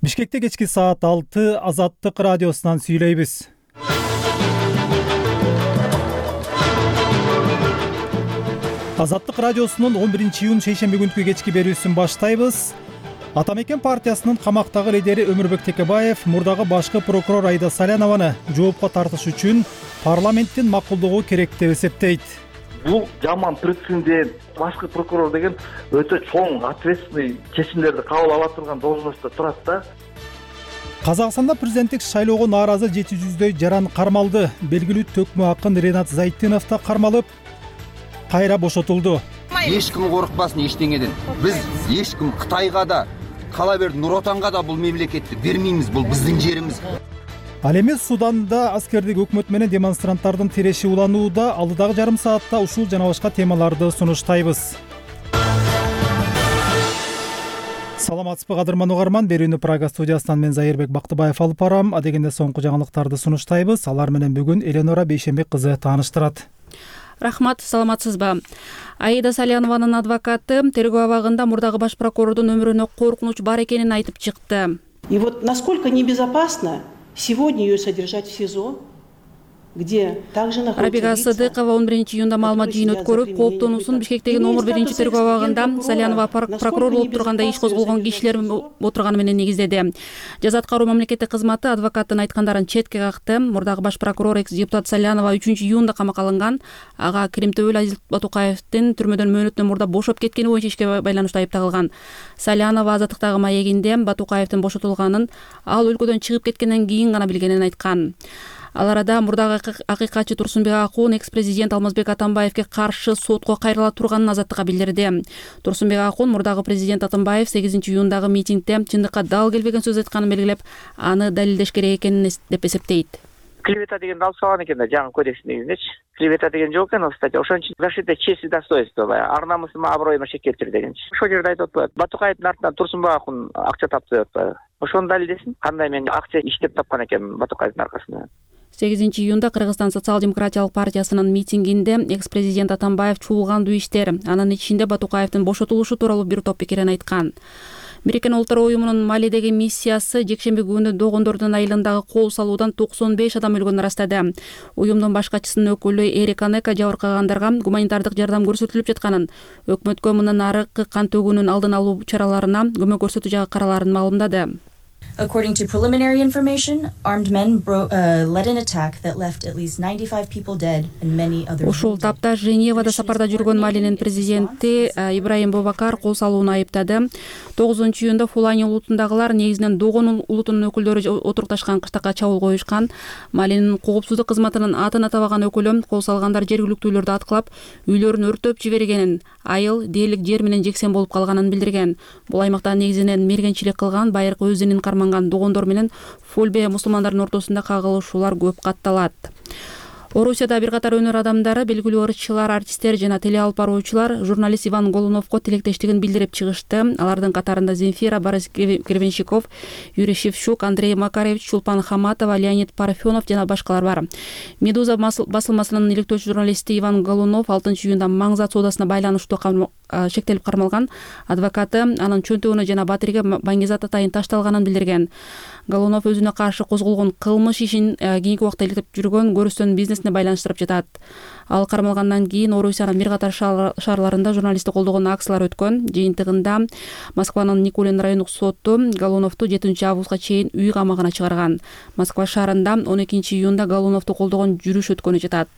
Бишкекте кечки саат 6 Азаттык радиосунан сүйлөйбүз. Азаттык радиосунун 11-июнь шейшемби күнкү кечки берүүсүн баштайбыз. Ата мекен партиясынын камактагы лидери Өмүрбек Текебаев мурдагы башкы прокурор Айда Салянованы жоопко тартыш үчүн парламенттин макулдугу керек деп эсептейт. Бул жаман прецедент. Башкы прокурор деген өтө чоң ответственный чечимдерди кабыл ала турган должностто турат да. Казакстанда президенттик шайлоого нааразы 700дөй жаран кармалды. Белгилүү төкмө акын Ренат Зайтынов да кармалып, кайра бошотулду. Эч ким коркпасын эчтеңеден. Биз эч ким Кытайга да, кала берди Нур Отонго да бул мемлекетти бермейбиз, бул биздин жерибиз. Ал эми Суданда аскердик өкмөт менен демонстранттардын тиреши уланууда. Алдыдагы жарым саатта ушул жана башка темаларды сунуштайбыз. Саламатсызбы кадырман угарман, берүүнү Прага студиясынан мен Зайырбек Бактыбаев алып барам. Адегенде соңку жаңылыктарды сунуштайбыз. Алар менен бүгүн Эленора Бейшембек кызы тааныштырат. Рахмат, саламатсызбы. Аида Салянованын адвокаты тергөө абагында мурдагы баш прокурордун өмүрүнө коркунуч бар экенин айтып чыкты. И вот насколько небезопасно сегодня ее содержать в СИЗО, где также находится Рабига Сыдыкова 11-июнда маалымат жыйын өткөрүп, кооптонуусун Бишкектеги номер 1 тергөө абагында Салянова прокурор болуп турганда иш козголгон кишилер отурганы менен негиздеди. Жаза аткаруу мамлекеттик кызматы адвокаттын айткандарын четке какты. Мурдагы баш прокурор экс-депутат Салянова 3-июнда камакка алынган. Ага Киримтөбөл Азиз Батукаевдин түрмөдөн мөөнөтүнөн мурда бошоп кеткени боюнча ишке байланыштуу айыпталган. Салянова Азаттыктагы маегинде Батукаевдин бошотулганын, ал өлкөдөн чыгып кеткенден кийин гана билгенин айткан. Ал арада мурдагы акыйкатчы Турсунбек Акун экс-президент Алмазбек Атамбаевге каршы сотко кайрыла турганын Азаттыкка билдирди. Турсунбек Акун мурдагы президент Атамбаев 8-июндагы митингде чындыкка дал келбеген сөз айтканын белгилеп, аны далилдеш керек экенин деп эсептейт. Клевета деген алып салган экен да жаңы кодекстин негизиндечи. Клевета деген жок экен, кстати, ошон үчүн защита чести и достоинства, ар намысыма, аброюма шек келтир дегенчи. Ошол жерде айтып атпайбы, Батукаевдин артынан Турсунбек Акун акча тапты деп атпайбы. Ошону далилдесин, кандай мен акча иштеп тапкан экенмин Батукаевдин аркасында. 8-июнда Кыргызстан социал-демократиялык партиясынын митингинде экс-президент Атамбаев чуулгандуу иштер, анын ичинде Батукаевдин бошотулушу тууралуу бир топ пикирин айткан. Бириккен Улуттар уюмунун Малидеги миссиясы жекшемби күнү Догондордун айылындагы кол салуудан 95 адам өлгөнүн ырастады. Уюмдун баш катчысынын өкүлү Эрик Анека жабыркагандарга гуманитардык жардам көрсөтүлүп жатканын, өкмөткө мындан аркы кан төгүүнүн алдын алуу чараларына көмөк көрсөтүү жагы караларын маалымдады. According to preliminary information, armed men led an attack that left at least 95 people dead and many others. Ушул тапта Женевада сапарда жүргөн Малинин президенти Ибраим Бобакар кол салууну айыптады. 9-июнда Фулани улутундагылар негизинен Догон улутунун өкүлдөрү отурукташкан кыштакка чабуул коюшкан. Малинин коопсуздук кызматынын атын атабаган өкүлү кол салгандар жергиликтүүлөрдү аткылап, үйлөрүн өртөп жибергенин, айыл дээрлик жер менен жексен болуп калганын билдирген. Бул аймакта негизинен мергенчилик кылган, байыркы өз динин карманган Догондор менен Фульбе мусулмандардын ортосунда кагылышуулар көп катталат. Орусияда бир катар өнөр адамдары, белгилүү ырчылар, артисттер жана теле алып баруучулар журналист Иван Голуновго тилектештигин билдирип чыгышты. Алардын катарында Земфира, Борис Гребенщиков, Юрий Шевчук, Андрей Макаревич, Чулпан Хаматова, Леонид Парфенов жана башкалар бар. Медуза басылмасынын иликтөөчү журналисти Иван Голунов 6-июнда Маңзат соодасына байланыштуу шектелип кармалган. Адвокаты анын чөнтөгүнө жана батириге Баңгизат атайын ташталганын билдирген. Голунов өзүнө каршы козголгон кылмыш ишин кийинки убакта иликтеп жүргөн көрүстөн бизнесине байланыштырып жатат. Ал кармалгандан кийин Орусиянын бир катар шаарларында журналистти колдогон акциялар өткөн. Жыйынтыгында Москванын Никулин райондук соту Голуновду 7-августка чейин үй камагына чыгарган. Москва шаарында 12-июнда Голуновду колдогон жүрүш өткөнү жатат.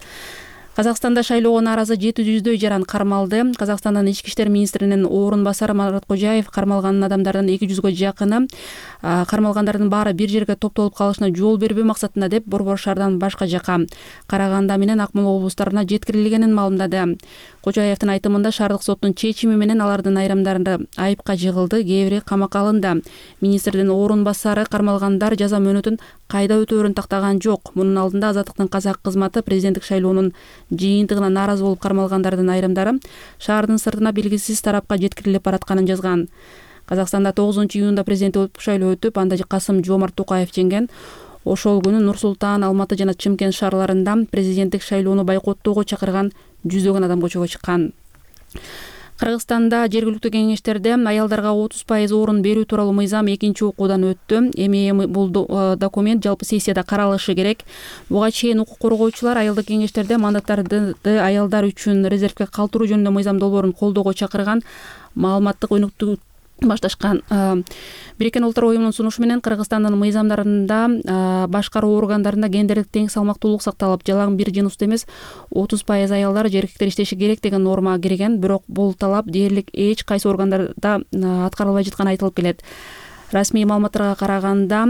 Казакстанда шайлоого нааразы 700дөй жаран кармалды. Казакстандын ички иштер министринин орун басары Марат Кожаев кармалган адамдардын 200гө жакыны кармалгандардын баары бир жерге топтолуп калышына жол бербөө максатында деп Борбор шаардан башка жака Караганда менен Акмола облустарына жеткирилгенин маалымдады. Кожаевдин айтымында шаардык соттун чечими менен алардын айрымдары айыпка жыгылды, кээ бири камакка алынды. Министрдин орун басары кармалгандар жаза мөөнөтүн кайда өтөөрүн тактаган жок. Мунун алдында Азаттыктын казак кызматы президенттик шайлоонун жыйынтыгына нааразы болуп кармалгандардын айрымдары шаардын сыртына белгисиз тарапка жеткирилип баратканын жазган. Казакстанда 9-июнда президенттик шайлоо өтүп, анда Касым-Жомарт Токаев жеңген. Ошол күнү Нур Султан, Алматы жана Чымкент шаарларында президенттик шайлоону бойкоттоого чакырган жүздөгөн адам көчөгө чыккан. Кыргызстанда жергиликтүү кеңештерде аялдарга 30% орун берүү тууралуу мыйзам экинчи окуудан өттү. Эми бул документ жалпы сессияда каралышы керек. Буга чейин укук коргоочулар айылдык кеңештерде мандаттарды аялдар үчүн резервге калтыруу жөнүндө мыйзам долбоорун колдоого чакырган маалыматтык өнүктүү башташкан. Бириккен Улуттар уюмунун сунушу менен Кыргызстандын мыйзамдарында башкаруу органдарында гендерлик тең салмактуулук сакталып, жалаң бир жыныстуу эмес 30% аялдар же эркектер иштеши керек деген норма кирген. Бирок бул талап дээрлик эч кайсы органдарда аткарылбай жатканы айтылып келет. Расмий маалыматтарга караганда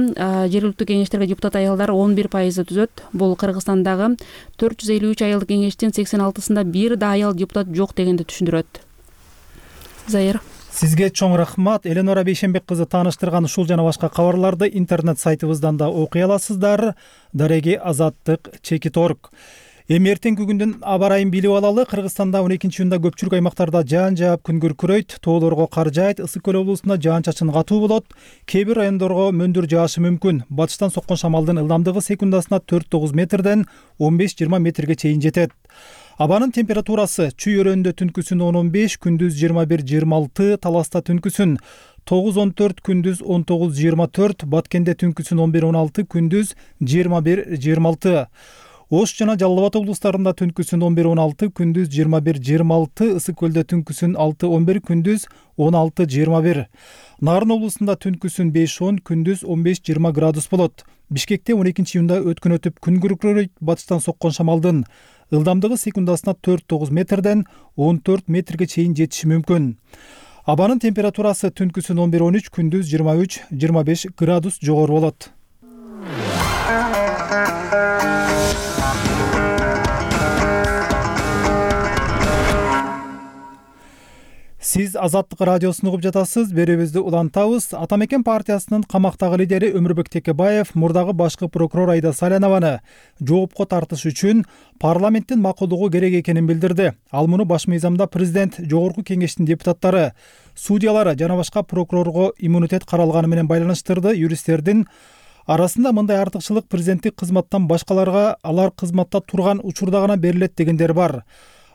жергиликтүү кеңештерге депутат аялдар 11% түзөт. Бул Кыргызстандагы 453 айылдык кеңештин 86-сында бир да аял депутат жок дегенди түшүндүрөт. Заир. Сизге чоң рахмат. Эленора Бейшенбек кызы тааныштырган ушул жана башка кабарларды интернет сайтыбыздан да окуй аласыздар. Дареги Азаттык _org. Эми эртеңки күндүн аба ырайын билип алалы. Кыргызстанда 12-июнда көпчүлүк аймактарда жаан жаап күн күркүрөйт, тоолорго кар жаайт, Ысык көл облусунда жаан-чачын катуу болот. Кээ бир райондорго мөндүр жаашы мүмкүн. Батыштан соккон шамалдын ылдамдыгы секундасына 4-9 метрден 15-20 метрге чейин жетет. Абанын температурасы чүй өрөөнүндө түнкүсүн 10-15, күндүз 21-26, Таласта түнкүсүн 9-14, күндүз 19-24, Баткенде түнкүсүн 11-16, күндүз 21-26. Ош жана Жалал Абад облустарында түнкүсүн 11-16, күндүз 21-26, Ысык көлдө түнкүсүн 6-11, күндүз 16-21. Нарын облусунда түнкүсүн 5-10, күндүз 15-20 градус болот. Бишкекте 12-июнда өткөн өтүп күн күркүрөйт, батыштан соккон шамалдын ылдамдыгы секундасына 4-9 метрден 14 метрге чейин жетиши мүмкүн. Абанын температурасы түнкүсүн 11-13, күндүз 23-25 градус жогору болот. Сиз Азаттык радиосун угуп жатасыз. Берүүбүздү улантабыз. Атамекен партиясынын камактагы лидери Өмүрбек Текебаев мурдагы башкы прокурор Айда Салянованы жоопко тартыш үчүн парламенттин макулдугу керек экенин билдирди. Ал муну баш мыйзамда президент, жогорку кеңештин депутаттары, судьялары жана башка прокурорго иммунитет каралганы менен байланыштырды. Юристтердин арасында мындай артыкчылык президенттик кызматтан башкаларга алар кызматта турган учурда гана берилет дегендер бар.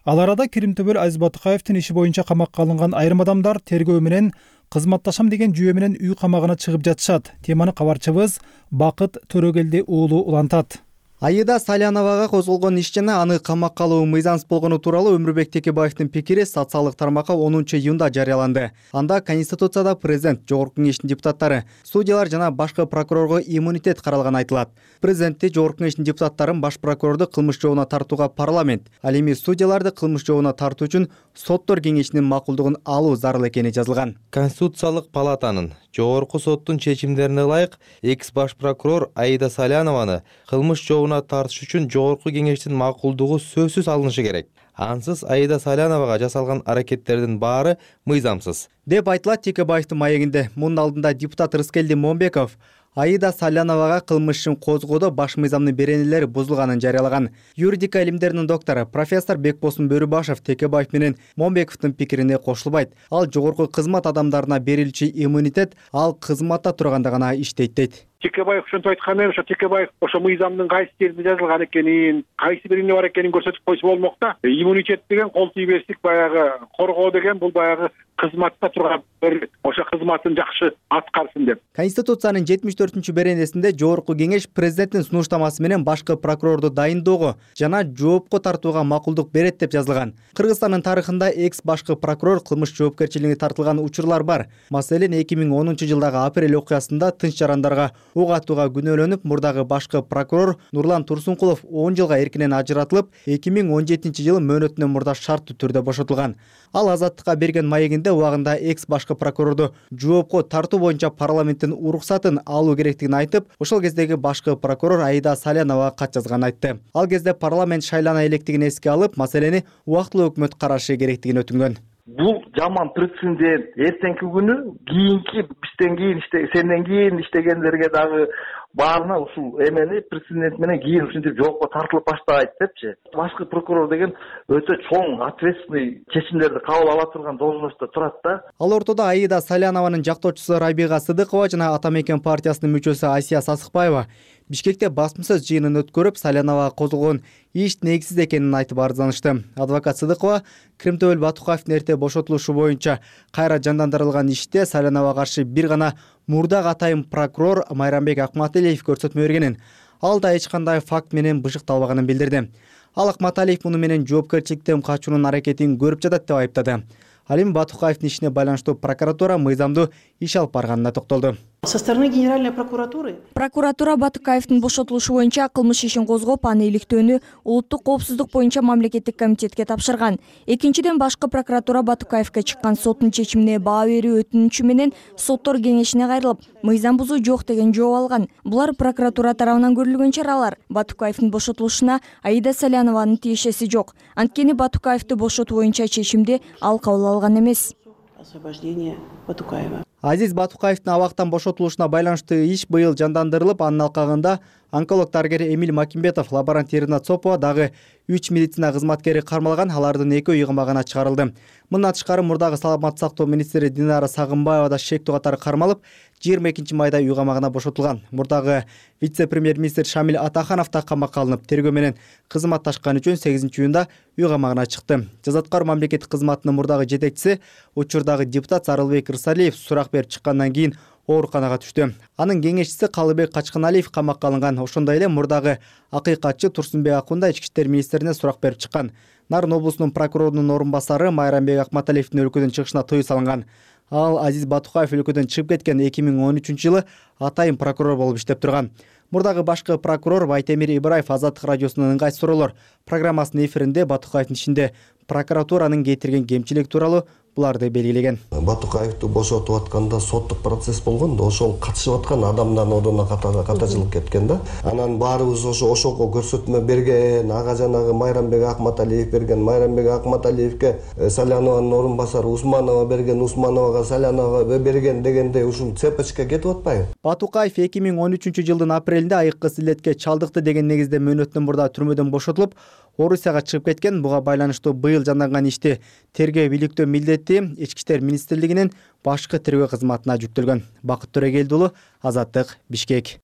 Ал арада Киримтөбөл Азиз Батыкаевдин иши боюнча камакка алынган айрым адамдар тергөө менен кызматташам деген жүйө менен үй камагына чыгып жатышат. Теманы кабарчыбыз Бакыт Төрөгелди уулу улантат. Айда Саляновага козголгон иш жана аны камакка алуу мыйзамсыз болгону тууралуу Өмүрбек Текебаевдин пикири социалдык тармакка 10-июнда жарыяланды. Анда Конституцияда президент, жогорку кеңештин депутаттары, судьялар жана башкы прокурорго иммунитет каралганы айтылат. Президентти, жогорку кеңештин депутаттарын баш прокурорду кылмыш жообуна тартууга парламент, ал эми судьяларды кылмыш жообуна тартуу үчүн соттор кеңешинин макулдугун алуу зарыл экени жазылган. Конституциялык палатанын жогорку соттун чечимдерине ылайык экс баш прокурор Айда Салянованы кылмыш жообуна тартыш үчүн жогорку кеңештин макулдугу сөзсүз алынышы керек. Ансыз Айда Саляновага жасалган аракеттердин баары мыйзамсыз деп айтылат Текебаевдин маегинде. Мунун алдында депутат Рыскелди Момбеков Айда Саляновага кылмыш ишин козгоодо баш мыйзамдын беренелери бузулганын жарыялаган. Юридика илимдеринин доктору профессор Бекбосун Бөрүбашев Текебаев менен Момбековдун пикирине кошулбайт. Ал жогорку кызмат адамдарына берилчү иммунитет ал кызматта турганда гана иштейт дейт. Текебаев ошентип айтканы, ошо Текебаев ошо мыйзамдын кайсы жеринде жазылган экенин, кайсы биринде бар экенин көрсөтүп койсо болмок да. Иммунитет деген кол тийбестик, баягы коргоо деген бул баягы кызматта турган берилет. Ошо кызматын жакшы аткарсын деп. Конституциянын 74-күнчү беренесинде жогорку кеңеш президенттин сунуштамасы менен башкы прокурорду дайындоого жана жоопко тартууга макулдук берет деп жазылган. Кыргызстандын тарыхында экс башкы прокурор кылмыш жоопкерчилигине тартылган учурлар бар. Маселен, 2010-жылдагы апрель окуясында тынч жарандарга ук атууга күнөөлөнүп, мурдагы башкы прокурор Нурлан Турсункулов 10 жылга эркинен ажыратылып, 2017-жылы мөөнөтүнөн мурда шарттуу түрдө бошотулган. Ал Азаттыкка берген маегинде убагында экс башкы прокурорду жоопко тартуу боюнча парламенттин уруксатын алуу керектигин айтып, ошол кездеги башкы прокурор Айда Саляновага кат жазганын айтты. Ал кезде парламент шайлана электигин эске алып, маселени убактылуу өкмөт карашы керектигин өтүнгөн. Бул жаман прецедент. Эртеңки күнү кийинки бизден кийин сенден кийин иштегендерге дагы баарына ушул эмени президент менен кийин ушинтип жоопко тартылып баштайт депчи. Башкы прокурор деген өтө чоң ответственный чечимдерди кабыл ала турган должностто турат да. Ал ортодо Аида Салянованын жактоочусу Рабига Сыдыкова жана Ата Мекен партиясынын мүчөсү Асия Сасыкбаева Бишкекте басмасөз жыйынын өткөрүп, Саляновага козголгон иш негизсиз экенин айтып арызданышты. Адвокат Сыдыкова Кримтөбөл Батукаевдин эрте бошотулушу боюнча кайра жандандырылган иште Саляновага каршы бир гана мурдагы атайын прокурор Майрамбек Акматалиев көрсөтмө бергенин, ал да эч кандай факт менен бышыкталбаганын билдирди. Ал Акматалиев муну менен жоопкерчиликтен качуунун аракетин көрүп жатат деп айыптады. Ал эми Батукаевдин ишине байланыштуу прокуратура мыйзамдуу иш алып барганына токтолду. Со стороны Генеральной прокуратуры прокуратура Батукаевдин бошотулушу боюнча кылмыш ишин козгоп, аны иликтөөнү улуттук коопсуздук боюнча мамлекеттик комитетке тапшырган. Экинчиден, башкы прокуратура Батукаевге чыккан соттун чечимине баа берүү өтүнүчү менен соттор кеңешине кайрылып, мыйзам бузуу жок деген жооп алган. Булар прокуратура тарабынан көрүлгөн чаралар. Батукаевдин бошотулушуна Аида Салянованын тиешеси жок. Анткени Батукаевди бошотуу боюнча чечимди ал кабыл алган эмес. Освобождение Батукаева. Азиз Батукаевдин абактан бошотулушуна байланыштуу иш быйыл жандандырылып, анын алкагында онколог дарыгер Эмиль Макимбетов, лаборант Ирина Цопова, дагы 3 медицина кызматкери кармалган, алардын 2 үй камагына чыгарылды. Мындан тышкары мурдагы саламаттык сактоо министри Динара Сагынбаева да шектүү катары кармалып, 22 майда үй камагына бошотулган. Мурдагы вице-премьер-министр Шамиль Атаханов да камакка алынып, тергөө менен кызматташкан үчүн 8-июнда үй камагына чыкты. Жазаткар мамлекеттик кызматынын мурдагы жетекчиси, учурдагы депутат Сарылбек Рысалиев сурак берип чыккандан кийин ооруканага түштү. Анын кеңешчиси Калыбек Качканалиев камакка алынган. Ошондой эле мурдагы акыйкатчы Турсунбек Акунда ички иштер министрине сурак берип чыккан. Нарын облусунун прокурорунун орун басары Майрамбек Акматалиевдин өлкөдөн чыгышына тыюу салынган. Ал Азиз Батукаев өлкөдөн чыгып кеткен 2013 жылы атайын прокурор болуп иштеп турган. Мурдагы башкы прокурор Байтемир Ибраев Азаттык радиосунун ыңгай суроолор программасынын эфиринде Батукаевдин ишинде прокуратуранын кетирген кемчилик тууралуу буларды белгилеген. Батукаевди бошотуп атканда соттук процесс болгон да, ошол катышып аткан адамдардын ордуна катачылык кеткен да. Анан баарыбыз ошого көрсөтмө берген, ага жанагы Майрамбек Акматалиев берген, Майрамбек Акматалиевке Салянованын орун басары Усманова берген, Усмановага Салянова берген дегендей ушул цепочка кетип атпайбы? Батукаев 2013 жылдын апрелинде айыккы силетке чалдыкты деген негизде мөөнөттөн мурда түрмөдөн бошотулуп, Орусияга чыгып кеткен. Буга байланыштуу быйыл жанданган ишти тергөө бийликтөө милдети Ички иштер министрлигинин башкы тергөө кызматына жүктөлгөн. Бакыт Төрөгелди уулу, Азаттык, Бишкек.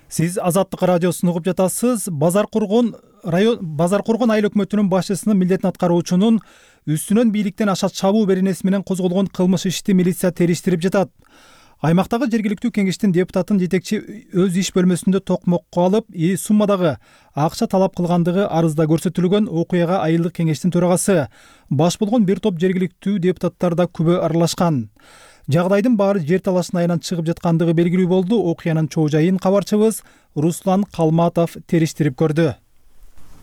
Сиз Азаттык радиосун угуп жатасыз. Базар Кургон айыл өкмөтүнүн башчысынын милдетин аткаруучунун үстүнөн бийликтен аша чабуу беренеси менен козголгон кылмыш ишти милиция териштирип жатат. Аймактагы жергиликтүү кеңештин депутатын жетекчи өз иш бөлмөсүндө токмокко алып, суммадагы акча талап кылгандыгы арызда көрсөтүлгөн. Окуяга айылдык кеңештин төрагасы, баш болгон бир топ жергиликтүү депутаттар да күбө аралашкан. Жагдайдын баары жер талашына айланып чыгып жаткандыгы белгилүү болду. Окуянын чоо жайын кабарчыбыз Руслан Калматов териштирип көрдү.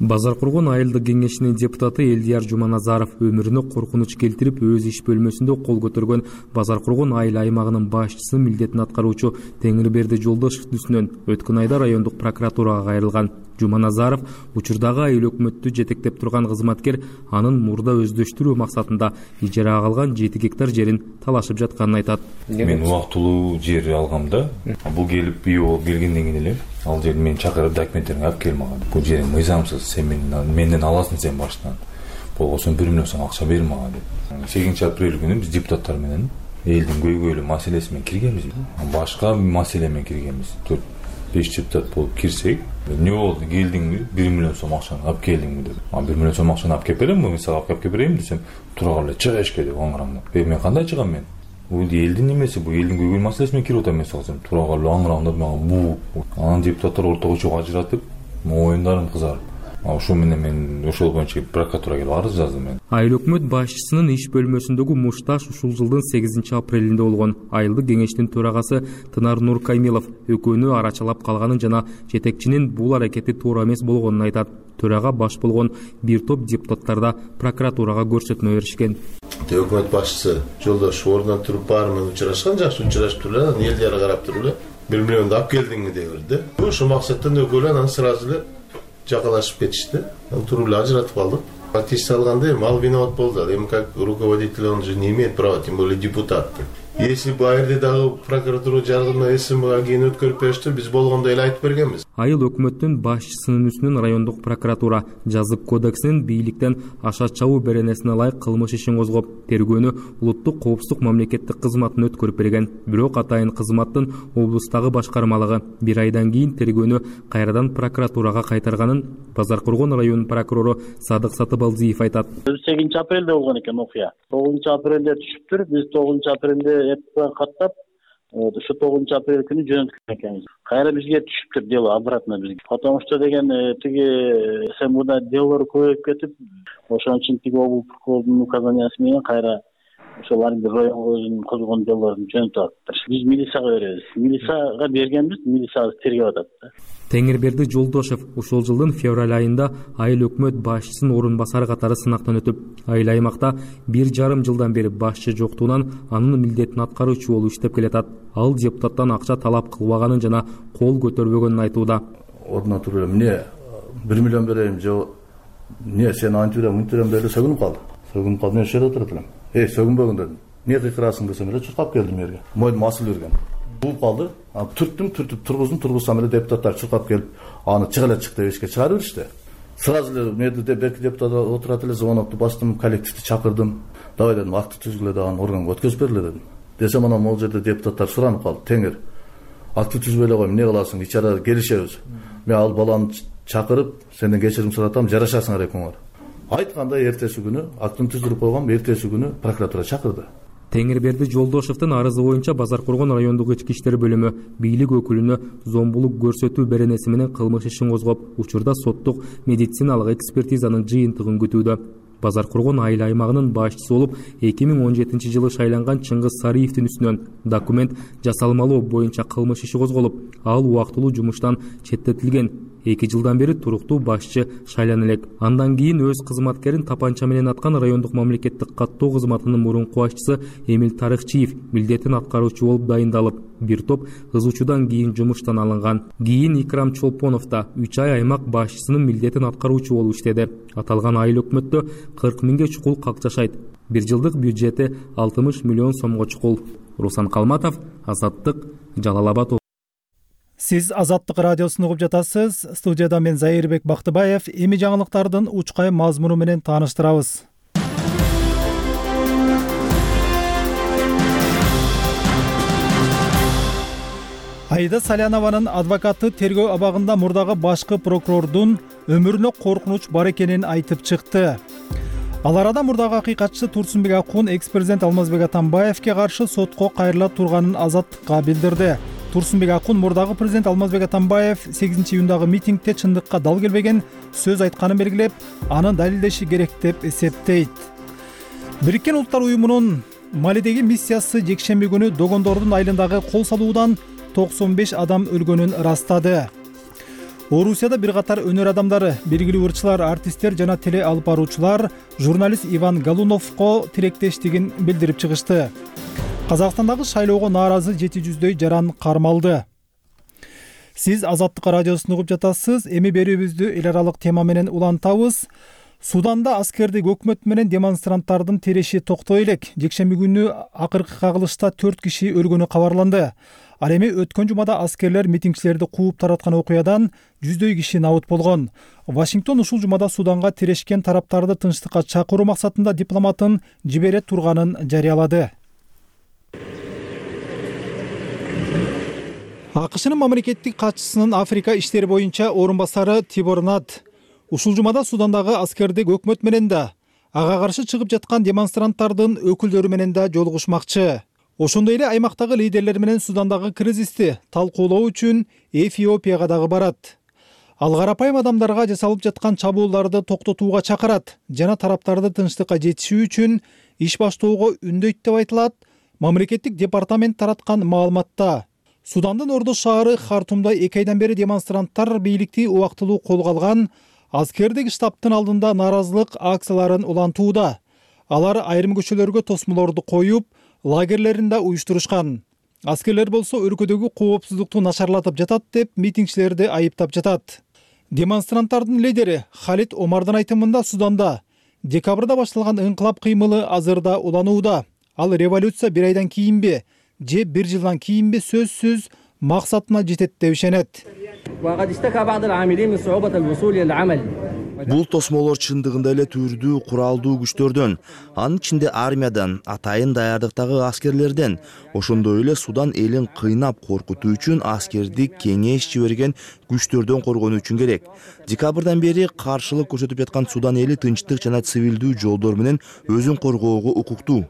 Базар Кургон айылдык кеңешинин депутаты Элдияр Жуманазаров өмүрүнө коркунуч келтирип, өз иш бөлмөсүндө кол көтөргөн Базар Кургон айыл аймагынын башчысынын милдетин аткаруучу Теңирберди Жолдошевдун үстүнөн өткөн айда райондук прокуратурага кайрылган. Жуманазаров учурдагы айыл өкмөттү жетектеп турган кызматкер анын мурда өздөштүрүү максатында ижарага алган 7 гектар жерин талашып жатканын айтат. Мен убактылуу жер алгам да. Бул келип үй болуп келгенден кийин эле ал жерди мен чакырып документтерин алып кел мага. Бул жериң мыйзамсыз, сен менден аласың сен баштан. Болгосо 1 миллион сом акча бер мага деп. 8 апрель күнү биз депутаттар менен элдин көйгөйлүү маселеси менен киргенбиз. Башка маселе менен киргенбиз. 4-5 депутат болуп кирсек, не болду? Келдиңби? 1 миллион сом акчаны алып келдиңби деп. 1 миллион сом акчаны алып келип берем, мен сага алып келип берейин десем, тура эле чыга эшке деп аңырамда. Мен кандай чыгам мен? Бул элдин немеси, бул элдин көйгөйлүү маселеси менен кирип атам мен сагасам. Тура эле аңырамда мага бу. Анан депутаттар ортого чыгып ажыратып, оюндарым кызарып. Ошол менен мен ошол боюнча прокуратурага келип арыз жаздым мен. Айыл өкмөт башчысынын иш бөлмөсүндөгү мушташ ушул жылдын 8 апрелинде болгон. Айылдык кеңештин төрагасы Тынар Нуркаймилов экөөнү арачалап калганын жана жетекчинин бул аракети туура эмес болгонун айтат. Төрага баш болгон бир топ депутаттар да прокуратурага көрсөтмө беришкен. Өкмөт башчысы Жолдошев ордунан туруп баары менен учурашкан, жакшы учурашып туруп эле, элдер карап туруп эле 1 миллионду алып келдиңби деп берди. Ошол максаттан экөөлөр анан сразу эле жакалашып кетишти. Туруп эле ажыратып калдык. Фактически алганда ал виноват болду. Эми как руководитель, он же не имеет права, тем более депутат. Если бы айрде дагы прокуратура жардамына СМга кийин өткөрүп беришти, биз болгондой эле айтып бергенбиз. Айыл өкмөттүн башчысынын үстүнөн райондук прокуратура жазык кодексинин бийликтен аша чабуу беренесине ылайык кылмыш ишин козгоп, тергөөнү улуттук коопсуздук мамлекеттик кызматына өткөрүп берген. Бирок атайын кызматтын облустагы башкармалыгы 1 айдан кийин тергөөнү кайрадан прокуратурага кайтарганын Базар Кургон районунун прокурору Садык Сатыбалдиев айтат. 8 апрелде болгон экен окуя. 9 апрелде түшүптүр. Биз 9 апрелде каттап, ошо 9 апрель күнү жөнөткөн экенбиз. Кайра бизге түшүптүр дело обратно бизге. Потому что деген тиги СМда делолор көбөйүп кетип, ошон үчүн тиги облус прокурордун указаниясы менен кайра ошолар районго козгон делолорун жөнөтүп атыптыр. Биз милицияга беребиз. Милицияга бергенбиз, милиция тергеп атат. Теңирберди Жолдошев ушул жылдын февраль айында айыл өкмөт башчысынын орун басары катары сынактан өтүп, айыл аймакта 1,5 жылдан бери башчы жоктугунан анын милдетин аткаруучу болуп иштеп келатат. Ал депутаттан акча талап кылбаганын жана кол көтөрбөгөнүн айтууда. Ордуна туруп эмне 1 миллион берейин же эмне сен антип берем, мынтип берем деп сөгүнүп калды. Сөгүнүп калып мен ошол жерде отурат элем. Сөгүнбөгүн дедим. Эмне кыйкырасың десем эле чуркап келдим жерге. Мойдума асыл берген. Бууп калды. Түрттүм, тургузсам эле депутаттар чуркап келип, аны чык деп эшикке чыгарып беришти. Сразу эле меди деп эки депутат отурат эле, звонокту бастым, коллективди чакырдым. Давай дедим, акты түзгүлө дагы органга өткөзүп бергиле дедим. Десем анан могул жерде депутаттар суранып калды. Теңир, акты түзбөй эле кой, эмне кыласың? Ич арада келишебиз. Мен ал баланы чакырып, сенден кечирим суратам, жарашасыңар экөөңөр. Айткандай эртеси күнү актын түздүрүп койгом, эртеси күнү прокуратура чакырды. Теңирберди Жолдошевдин арызы боюнча Базар Кургон райондук ички иштер бөлүмү бийлик өкүлүнө зомбулук көрсөтүү беренеси менен кылмыш ишин козгоп, учурда соттук медициналык экспертизанын жыйынтыгын күтүүдө. Базар Кургон айыл аймагынын башчысы болуп 2017 жылы шайланган Чыңгыз Сариевдин үстүнөн документ жасалмалоо боюнча кылмыш иши козголуп, ал убактылуу жумуштан четтетилген. 2 жылдан бери туруктуу башчы шайлана элек. Андан кийин өз кызматкерин тапанча менен аткан райондук мамлекеттик каттоо кызматынын мурунку башчысы Эмил Тарыхчиев милдетин аткаруучу болуп дайындалып, бир топ ызуучудан кийин жумуштан алынган. Кийин Икрам Чолпонов да 3 ай аймак башчысынын милдетин аткаруучу болуп иштеди. Аталган айыл өкмөттө 40 миңге чукул калк жашайт. 1 жылдык бюджети 60 миллион сомго чукул. Руслан Калматов, Азаттык, Жалал Абад. Сиз Азаттык радиосун угуп жатасыз. Студияда мен Зайырбек Бактыбаев. Эми жаңылыктардын учкай мазмуну менен тааныштырабыз. Аида Салянованын адвокаты тергөө абагында мурдагы башкы прокурордун өмүрүнө коркунуч бар экенин айтып чыкты. Ал арада мурдагы акыйкатчы Турсунбек Акун экс-президент Алмазбек Атамбаевке каршы сотко кайрыла турганын Азаттыкка билдирди. Турсунбек Акун мурдагы президент Алмазбек Атамбаев 8 июндагы митингде чындыкка дал келбеген сөз айтканын белгилеп, аны далилдеши керек деп эсептейт. Бириккен Улуттар уюмунун Малидеги миссиясы жекшемби күнү Догондордун айылындагы кол салуудан 95 адам өлгөнүн ырастады. Орусияда бир катар өнөр адамдары, белгилүү ырчылар, артисттер жана теле алып баруучулар журналист Иван Галуновго тилектештигин билдирип чыгышты. Казакстандагы шайлоого нааразы 700дөй жаран кармалды. Сиз Азаттык радиосун угуп жатасыз. Эми берүүбүздү эл аралык тема менен улантабыз. Суданда аскердик өкмөт менен демонстранттардын тереши токтой элек. Жекшемби күнү акыркы кагылышта 4 киши өлгөнү кабарланды. Ал эми өткөн жумада аскерлер митингчилерди кууп тараткан окуядан 100дөй киши набыт болгон. Вашингтон ушул жумада Суданга тирешкен тараптарды тынчтыкка чакыруу максатында дипломатын жибере турганын жарыялады. АКШнын мамлекеттик катчысынын Африка иштери боюнча орун басары Тибор Над ушул жумада Судандагы аскердик өкмөт менен да, ага каршы чыгып жаткан демонстранттардын өкүлдөрү менен да жолугушмакчы. Ошондой эле аймактагы лидерлер менен Судандагы кризисти талкуулоо үчүн Эфиопияга дагы барат. Ал карапайым адамдарга жасалып жаткан чабуулдарды токтотууга чакырат жана тараптарды тынчтыкка жетишүү үчүн иш баштоого үндөйт деп айтылат мамлекеттик департамент тараткан маалыматта. Судандын ордо шаары Хартумда 2 айдан бери демонстранттар бийликти убактылуу колго алган аскердик штабтын алдында нааразылык акцияларын улантууда. Алар айрым көчөлөргө тосмолорду коюп, лагерлеринде уюштурушкан. Аскерлер болсо өлкөдөгү коопсуздукту начарлатып жатат деп митингчилерди айыптап жатат. Демонстранттардын лидери Халид Омардын айтымында Суданда Декабрда башталган ыңкылап кыймылы азырда уланууда. Ал революция бир айдан кийинби же бир жылдан кийинби сөзсүз максатына жетет деп ишенет. Бул тосмолор чындыгында эле түрдүү куралдуу күчтөрдөн, анын ичинде армиядан, атайын даярдыктагы аскерлерден, ошондой эле Судан элин кыйнап коркутуу үчүн аскердик кеңеш жиберген күчтөрдөн коргонуу үчүн керек. Декабрдан бери каршылык көрсөтүп жаткан Судан эли тынчтык жана цивилдүү жолдор менен өзүн коргоого укуктуу.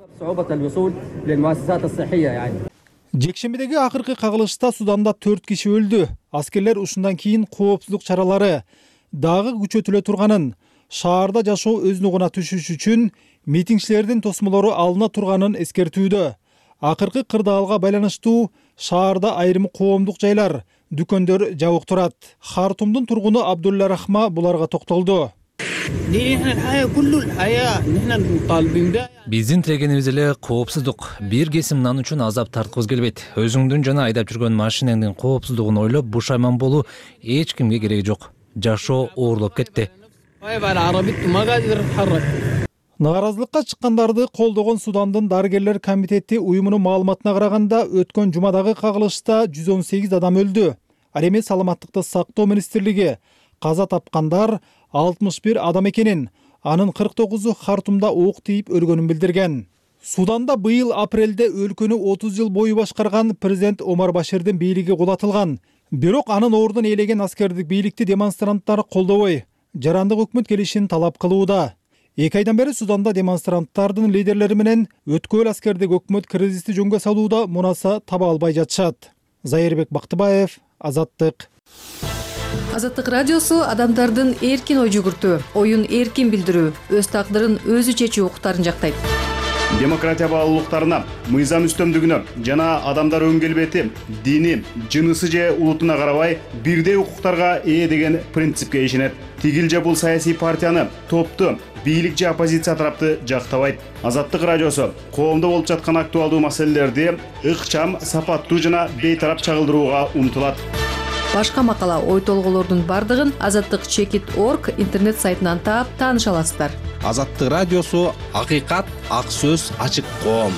Жекшембидеги акыркы кагылышта Суданда 4 киши өлдү. Аскерлер ушундан кийин коопсуздук чаралары дагы күчөтүлө турганын, шаарда жашоо өз нугуна түшүш үчүн митингчилердин тосмолору алына турганын эскертүүдө. Акыркы кырдаалга байланыштуу шаарда айрым коомдук жайлар, дүкөндөр жабык турат. Хартумдун тургуну Абдулла Рахма буларга токтолду. Биздин тилегенибиз эле коопсуздук. Бир кесим нан үчүн азап тарткыбыз келбейт. Өзүңдүн жана айдап жүргөн машинаңдын коопсуздугун ойлоп бушайман болуу эч кимге кереги жок. Жашоо оорлоп кетти. Нааразылыкка чыккандарды колдогон Судандын дарыгерлер комитети уюмунун маалыматына караганда, өткөн жумадагы кагылышта 118 адам өлдү. Ал эми саламаттыкты сактоо министрлиги каза тапкандар 61 адам экенин, анын 49-у Хартумда ок тийип өлгөнүн билдирген. Суданда быйыл апрелде өлкөнү 30 жыл бою башкарган президент Омар Баширдин бийлиги кулатылган. Бирок анын ордун ээлеген аскердик бийликти демонстранттар колдобой, жарандык өкмөт келишин талап кылууда. 2 айдан бери Суданда демонстранттардын лидерлери менен өткөл аскердик өкмөт кризисти жөнгө салууда мунаса таба албай жатышат. Зайырбек Бактыбаев, Азаттык. Азаттык радиосу адамдардын эркин ой жүгүртүү, оюн эркин билдирүү, өз тагдырын өзү чечүү укуктарын жактайт. Демократия баалуулуктарына, мыйзам үстөмдүгүнө жана адамдар өн келбети, дини, жынысы же улутуна карабай бирдей укуктарга ээ деген принципке ишенет. Тигил же бул саясий партияны, топту, бийлик же оппозиция тарапты жактабайт. Азаттык радиосу коомдо болуп жаткан актуалдуу маселелерди ыкчам, сапаттуу жана бейтарап чагылдырууга умтулат. Башка макала, ой толголордун бардыгын азаттык.org интернет сайтынан таап тааныша аласыздар. Азаттык радиосу акыйкат, ак сөз, ачык коом.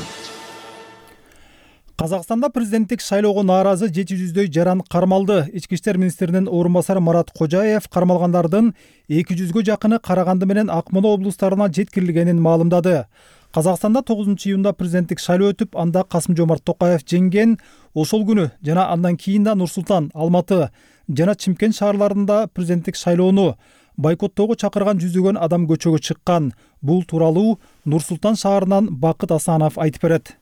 Казакстанда президенттик шайлоого нааразы 700дөй жаран кармалды. Ички иштер министринин орун басары Марат Кожаев кармалгандардын 200гө жакыны Караганды менен Акмола облустарына жеткирилгенин маалымдады. Казакстанда 9-июнда президенттик шайлоо өтүп, анда Касым-Жомарт Токаев жеңген. Ошол күнү жана андан кийин да Нур-Султан, Алматы жана Чимкент шаарларында президенттик шайлоону бойкоттоого чакырган жүздөгөн адам көчөгө чыккан. Бул тууралуу Нур-Султан шаарынан Бакыт Асанов айтып берет.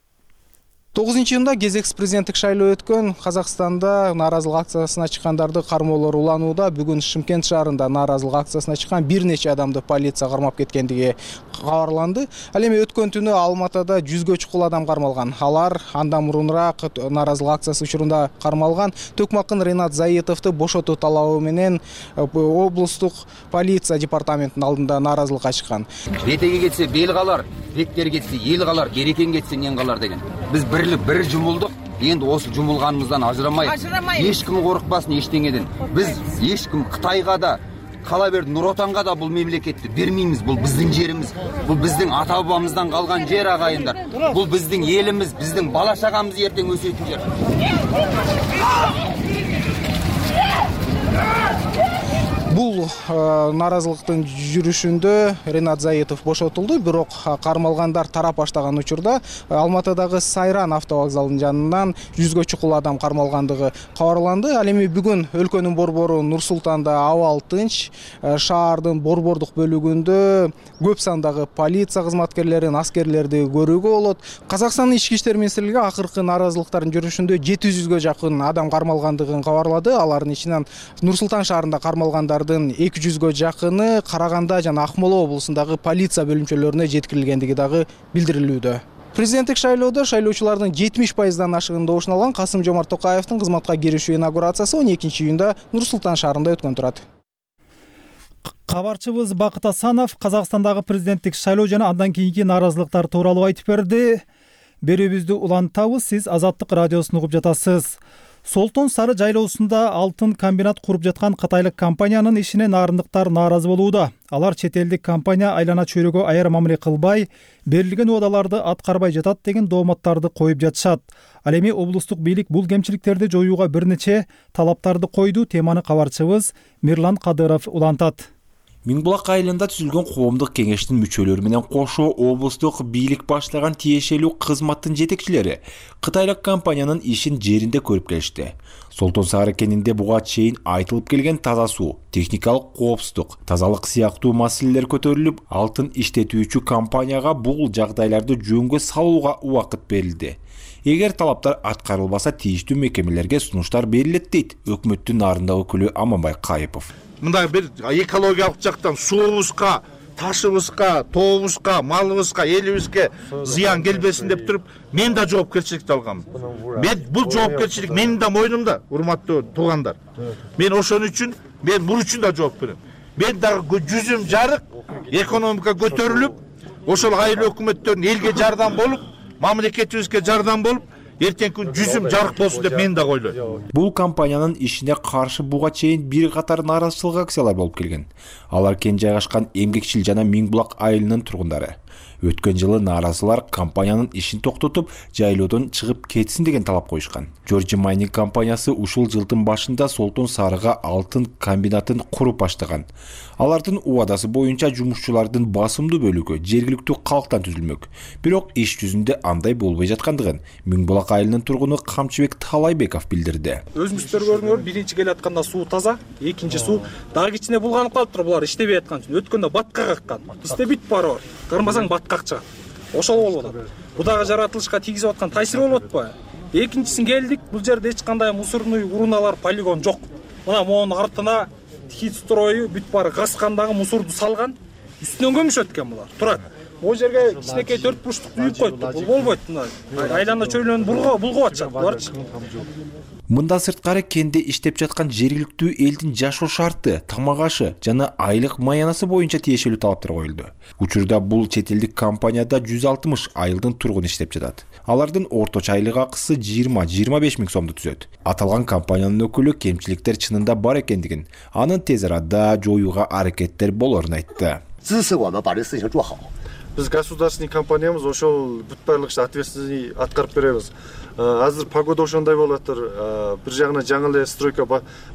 9-июнда кезексиз президенттик шайлоо өткөн Казакстанда нааразылык акциясына чыккандарды кармоолор уланууда. Бүгүн Шымкент шаарында нааразылык акциясына чыккан бир нече адамды полиция кармап кеткендиги кабарланды. Ал эми өткөн түнү Алматыда 100гө чукул адам кармалган. Алар андан мурунураак нааразылык акциясы учурунда кармалган. Төкмакын Ринат Заитовду бошотуу талабы менен облустук полиция департаментинин алдында нааразылыкка чыккан. Бетеге кетсе бел калар, бектер кетсе эл калар, берекең кетсе нен калар деген. Биз бир жумулдук. Енді осы жумулганыбыздан ажырамайық. Ешкім коркпасын ештеңеден. Біз ешкім Кытайга да, кала берди Нур Отанга да бул мемлекетти бермеймиз. Бул биздин жерimiz. Бул биздин ата бабамыздан калган жер, агайындар. Бул биздин элimiz, биздин бала чагамыз эртең өсөйтүн жер. Бул нааразылыктын жүрүшүндө Ринат Заитов бошотулду, бирок кармалгандар тарап баштаган учурда Алматыдагы Сайран автовокзалынын жанынан 100гө чукул адам кармалгандыгы кабарланды. Ал эми бүгүн өлкөнүн борбору Нур-Султанда абал тынч, шаардын борбордук бөлүгүндө көп сандагы полиция кызматкерлерин, аскерлерди көрүүгө болот. Казакстандын ички иштер министрлиги акыркы нааразылыктардын жүрүшүндө 700гө жакын адам кармалгандыгын кабарлады. Алардын ичинен Нур-Султан шаарында кармалгандар 200гө жакыны Караганда жана Акмола облусундагы полиция бөлүмчөлөрүнө жеткирилгендиги дагы билдирилүүдө. Президенттик шайлоодо шайлоочулардын 70%дан ашыгын добушун алган Касым-Жомарт Токаевдин кызматка киришүү инаугурациясы 12-июнда Нур-Султан шаарында өткөн турат. Кабарчыбыз Бакыт Асанов Казакстандагы президенттик шайлоо жана андан кийинки нааразылыктар тууралуу айтып берди. Берүүбүздү улантабыз, сиз Азаттык радиосун угуп жатасыз. Солтон Сары жайлоосунда алтын комбинат куруп жаткан кытайлык компаниянын ишине нарындыктар нааразы болууда. Алар чет элдик компания айлана чөйрөгө аяр мамиле кылбай, берилген убадаларды аткарбай жатат деген дооматтарды коюп жатышат. Ал эми облустук бийлик бул кемчиликтерди жоюуга бир нече талаптарды койду. Теманы кабарчыбыз Мирлан Кадыров улантат. Миңбулак айылында түзүлгөн коомдук кеңештин мүчөлөрү менен кошо облустук бийлик баштаган тиешелүү кызматтын жетекчилери кытайлык компаниянын ишин жеринде көрүп келишти. Солтон Сары кенинде буга чейин айтылып келген таза суу, техникалык коопсуздук, тазалык сыяктуу маселелер көтөрүлүп, алтын иштетүүчү компанияга бул жагдайларды жөнгө салууга убакыт берилди. Эгер талаптар аткарылбаса, тийиштүү мекемелерге сунуштар берилет дейт өкмөттүн нарындагы өкүлү Аманбай Кайыпов. Мындай бир экологиялык жактан суубузга, ташыбызга, тообузга, малыбызга, элибизге зыян келбесин деп туруп, мен да жоопкерчиликти алгам. Бул жоопкерчилик менин да мойнумда, урматтуу туугандар. Мен ошон үчүн, мен бул үчүн да жооп берем. Мен дагы жүзүм жарык, экономика көтөрүлүп, ошол айыл өкмөттөрүн элге жардам болуп, мамлекетибизге жардам болуп, эртеңки күн жүзүм жарык болсун деп мен да ойлойм. Бул компаниянын ишине каршы буга чейин бир катар нааразычылык акциялар болуп келген. Алар кен жайгашкан Эмгекчил жана Миңбулак айылынын тургундары. Өткөн жылы нааразылар компаниянын ишин токтотуп, жайлоодон чыгып кетсин деген талап коюшкан. Georgia Mining компаниясы ушул жылдын башында Солтон Сарыга алтын комбинатын куруп баштаган. Алардын убадасы боюнча жумушчулардын басымдуу бөлүгү жергиликтүү калктан түзүлмөк. Бирок иш жүзүндө андай болбой жаткандыгын Миңбулак айылынын тургуну Камчыбек Талайбеков билдирди. Өзүңүздөр көрдүңөр, биринчи келе атканда суу таза, экинчи суу дагы кичине булганып калыптыр, булар иштебей аткан үчүн. Өткөндө батка каккан. Бизде бүт баары бар. Кармасаң баткак чыгат. Ошол болуп атат. Бул дагы жаратылышка тийгизип аткан таасир болуп атпайбы? Экинчисин келдик, бул жерде эч кандай мусорный уруналар, полигон жок. Мына монун артына хит строю бүт баары гаскандагы мусорду салган, үстүнөн көмүшөт экен булар. Турат. Бул жерге кичинекей 4 бурчтук үйүп коюпту. Бул болбойт. Айлана чөйрөнүн булгап атышат буларчы. Мында сырткары кенде иштеп жаткан жергиликтүү элдин жашоо шарты, тамак ашы жана айлык маянасы боюнча тиешелүү талаптар коюлду. Учурда бул чет элдик компанияда 160 айылдын тургуну иштеп жатат. Алардын орточо айлык акысы 20-25 миң сомду түзөт. Аталган компаниянын өкүлү кемчиликтер чынында бар экендигин, анын тез арада жоюуга аракеттер болорун айтты. Биз государственный компаниябыз ошол бүт баарлык ишти ответственный аткарып беребиз. Азыр погода ошондой болуп атыр. Бир жагынан жаңы эле стройка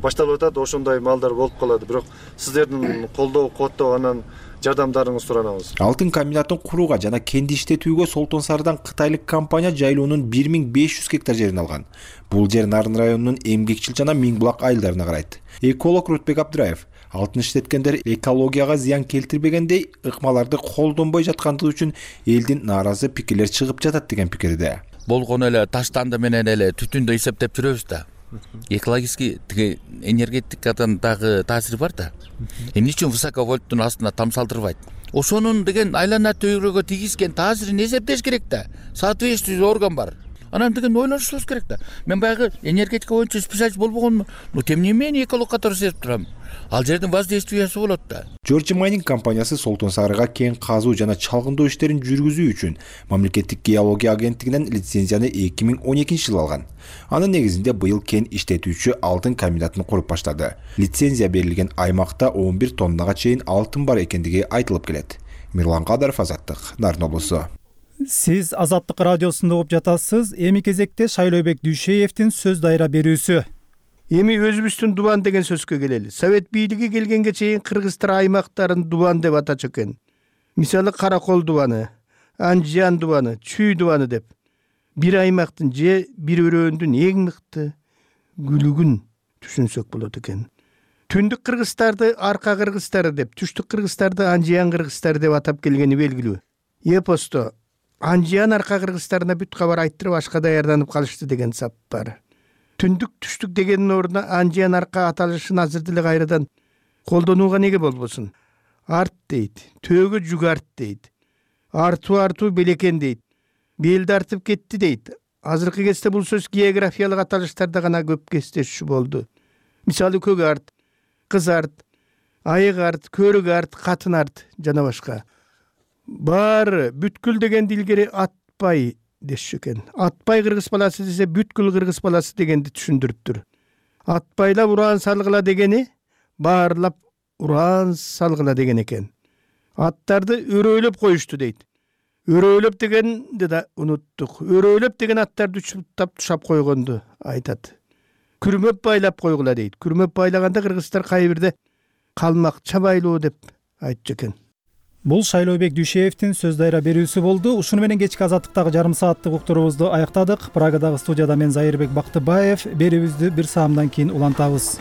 башталып атат, ошондой маалдар болуп калат. Бирок сиздердин колдоо, кооттоо анан жардамдарыңызды суранабыз. Алтын комбинатын курууга жана кенди иштетүүгө Солтон Сарыдан кытайлык компания жайлоонун 1500 гектар жерин алган. Бул жер Нарын районунун Эмгекчил жана Миңбулак айылдарына карайт. Эколог Рутбек Абдыраев алтын иштеткендер экологияга зыян келтирбегендей ыкмаларды колдонбой жаткандыгы үчүн элдин нааразы пикирлер чыгып жатат деген пикирде. Болгон эле таштанды менен эле түтүндү эсептеп жүрөбүз да. Экологический тиги энергетикадан дагы таасири бар да. Эмне үчүн высоковольттун астына тамсалтырбайт? Ошонун деген айлана чөйрөгө тийгизген таасирин эсептеш керек да. Соответствующий орган бар. Анан деген ойлонушубуз керек да. Мен баягы энергетика боюнча специалист болбогонмун. Но тем не менее эколог катары сезип турам. Ал жердин воздействиясы болот да. Georgia Mining компаниясы Солтон Сарыга кен казуу жана чалгындоо иштерин жүргүзүү үчүн мамлекеттик геология агенттигинен лицензияны 2012-жылы алган. Анын негизинде быйыл кен иштетүүчү алтын комбинатын куруп баштады. Лицензия берилген аймакта 11 тоннага чейин алтын бар экендиги айтылып келет. Мирлан Кадыров, Азаттык, Нарын облусу. Сиз Азаттык радиосунда угуп жатасыз. Эми кезекте Шайлообек Дүйшеевдин сөз дайра берүүсү. Эми өзүбүздүн дубан деген сөзгө келели. Совет бийлиги келгенге чейин кыргызстан аймактарын дубан деп атачу экен. Мисалы Каракол дубаны, Анжиян дубаны, Чүй дубаны деп. Бир аймактын же бир өрөөндүн эң мыкты күлүгүн түшүнсөк болот экен. Түндүк кыргыздарды арка кыргыздары деп, түштүк кыргыздарды Анжиян кыргыздары деп атап келгени белгилүү. Эпосто Анжиян арка кыргыздарына бүт кабар айттырып ашка даярданып калышты деген сап бар. Түндүк түштүк дегенин ордуна Анжиян арка аталышын азыр деле кайрадан колдонууга неге болбосун? Арт дейт, төөгө жүк арт дейт. Артуу белекен дейт. Белди артып кетти дейт. Азыркы кезде бул сөз географиялык аталыштарда гана көп кездешүү болду. Мисалы көк арт, кыз арт, айык арт, көрүк арт, катын арт жана башка. Баары бүткүл дегенди илгери атпай дешчү экен. Атпай кыргыз баласы десе бүткүл кыргыз баласы дегенди түшүндүрүптүр. Атпайлап уран салгыла дегени баарлап уран салгыла деген экен. Аттарды өрөөлөп коюшту дейт. Өрөөлөп дегенди да унуттук. Өрөөлөп деген аттарды учуптап тушап койгонду айтат. Күрмөп байлап койгула дейт. Күрмөп байлаганда кыргыздар кайбирде калмак чабайлуу деп айтчу экен. Бул Шайлообек Дүйшеевдин сөз дайра берүүсү болду. Ушуну менен кечки азаттыктагы жарым сааттык уктуруубузду аяктадык. Прагадагы студияда мен Зайырбек Бактыбаев. Берүүбүздү бир саамдан кийин улантабыз.